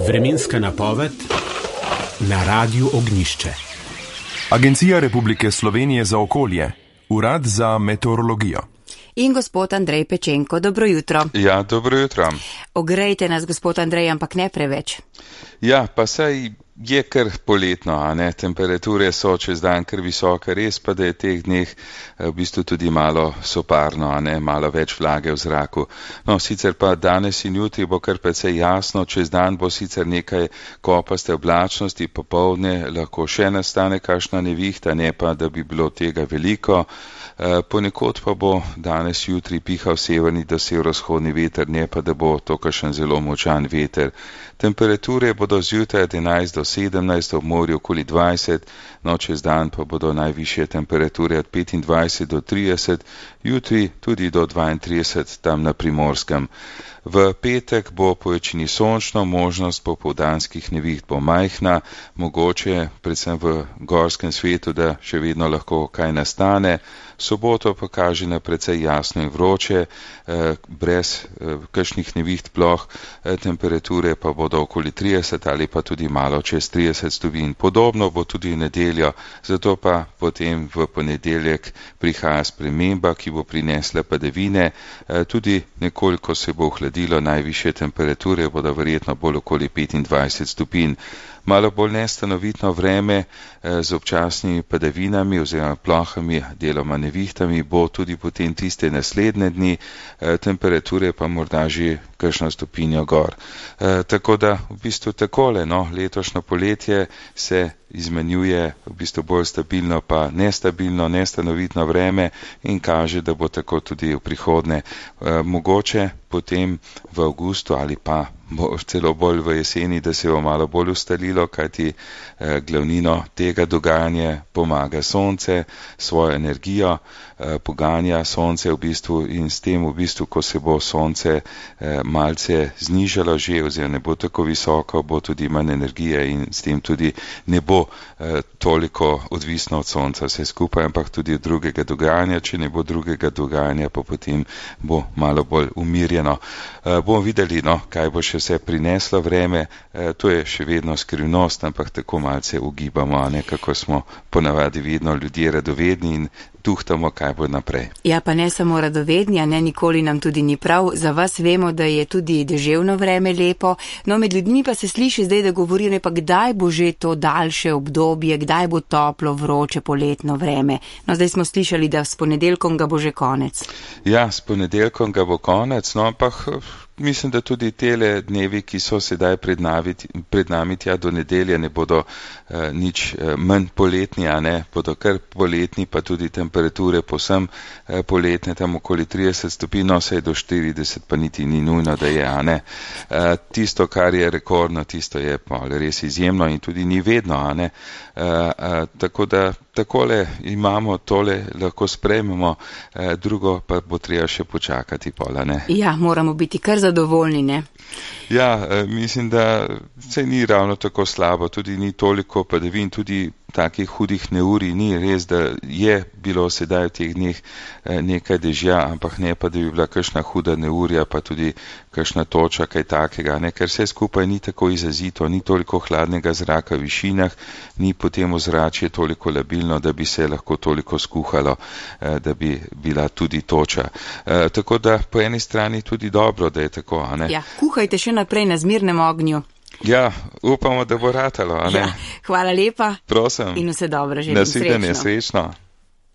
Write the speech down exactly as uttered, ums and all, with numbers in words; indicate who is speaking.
Speaker 1: Vremenska napoved na Radiu Ognjišče.
Speaker 2: Agencija Republike Slovenije za okolje, Urad za meteorologijo.
Speaker 3: In gospod Andrej Pečenko, dobro jutro.
Speaker 4: Ja, dobro jutro.
Speaker 3: Ogrejte nas, gospod Andrej, ampak ne preveč.
Speaker 4: Ja, pa saj je kar poletno, a ne, temperature so čez dan kar visoke, res pa, da je teh dneh v bistvu tudi malo soparno, a ne, malo več vlage v zraku. No, sicer pa danes in jutri bo kar precej jasno, čez dan bo sicer nekaj kopaste oblačnosti, popoldne lahko še nastane kakšna nevihta, ne pa, da bi bilo tega veliko. Ponekod pa bo danes jutri pihal severni do severovzhodni veter, ne pa, da bo to kakšen zelo močan veter. Temperature bodo zjutraj od enajst do sedemnajst, ob morju okoli dvajset, no čez dan pa bodo najvišje temperature od petindvajset do trideset, jutri tudi do dvaintrideset tam na Primorskem. V petek bo po večini sončno, možnost popoldanskih neviht bo majhna, mogoče predvsem v gorskem svetu, da še vedno lahko kaj nastane. Soboto pa kaže na precej jasno in vroče, brez kakšnih neviht ploh, temperature pa bodo okoli trideset ali pa tudi malo čez trideset stopinj. Podobno bo tudi v nedeljo, zato pa potem v ponedeljek prihaja sprememba, ki bo prinesla padavine, tudi nekoliko se bo ohladilo, najvišje temperature bodo verjetno bolj okoli petindvajset stopinj. Malo bolj nestanovitno vreme z občasnimi padavinami oziroma plohami, deloma nevihtami bo tudi potem tiste naslednje dni, temperature pa morda že kakšno stopinjo gor. E, tako da v bistvu takole, no, letošnjo poletje se izmenjuje v bistvu bolj stabilno pa nestabilno, nestanovitno vreme in kaže, da bo tako tudi v prihodnje. E, mogoče potem v avgustu ali pa bo celo bolj v jeseni, da se bo malo bolj ustalilo, kajti eh, glavnino tega dogajanja pomaga sonce, svojo energijo, eh, poganja sonce v bistvu in s tem v bistvu, ko se bo sonce eh, malce znižalo že oziroma ne bo tako visoko, bo tudi manj energije in s tem tudi ne bo eh, toliko odvisno od sonca vse skupaj, ampak tudi od drugega dogajanja, če ne bo drugega dogajanja, pa potem bo malo bolj umirjeno. Eh, bomo videli, no, kaj bo še vse prineslo vreme, e, to je še vedno skrivnost, ampak tako malce ugibamo, a ne, kako smo ponavadi vedno ljudje radovedni in tuhtamo, kaj bo naprej.
Speaker 3: Ja, pa ne samo radovedni, a ne, nikoli nam tudi ni prav. Za vas vemo, da je tudi deževno vreme lepo, no med ljudmi pa se sliši zdaj, da govorijo, ne pa kdaj bo že to daljše obdobje, kdaj bo toplo, vroče, poletno vreme. No, zdaj smo slišali, da s ponedeljkom ga bo že konec.
Speaker 4: Ja, s ponedeljkom ga bo konec, no, ampak mislim, da tudi tele dnevi, ki so sedaj pred nami, pred nami tja do nedelje, ne bodo eh, nič eh, manj poletni, a ne, bodo kar poletni, pa tudi temperature posem eh, poletne, tam okoli trideset stopinj, no, saj do štirideset pa niti ni nujno, da je, a ne. Eh, tisto, kar je rekordno, tisto je pa res izjemno in tudi ni vedno, a ne. Eh, eh, tako da takole imamo, tole lahko sprejmemo, eh, drugo pa bo treba še počakati pola, ne.
Speaker 3: Ja, moramo biti kar zadovoljni, ne?
Speaker 4: Ja, eh, mislim, da se ni ravno tako slabo, tudi ni toliko padavin, tudi takih hudih neurij ni, res, da je bilo sedaj v teh dneh eh, nekaj dežja, ampak ne pa, da bi bila kakšna huda neurja, pa tudi kakšna toča, kaj takega, ne, ker vse skupaj ni tako izrazito, ni toliko hladnega zraka v višinah, ni potem ozračje toliko labilno, da bi se lahko toliko skuhalo, eh, da bi bila tudi toča. Eh, tako da po eni strani tudi dobro, da je tako, a ne.
Speaker 3: Ja, kuhajte še naprej na zmirnem ognju.
Speaker 4: Ja, upamo, da bo ratalo, a ne.
Speaker 3: Ja, hvala lepa.
Speaker 4: Prosim.
Speaker 3: In vse dobro, želim
Speaker 4: srečno.
Speaker 3: Nasvidenje,
Speaker 4: srečno.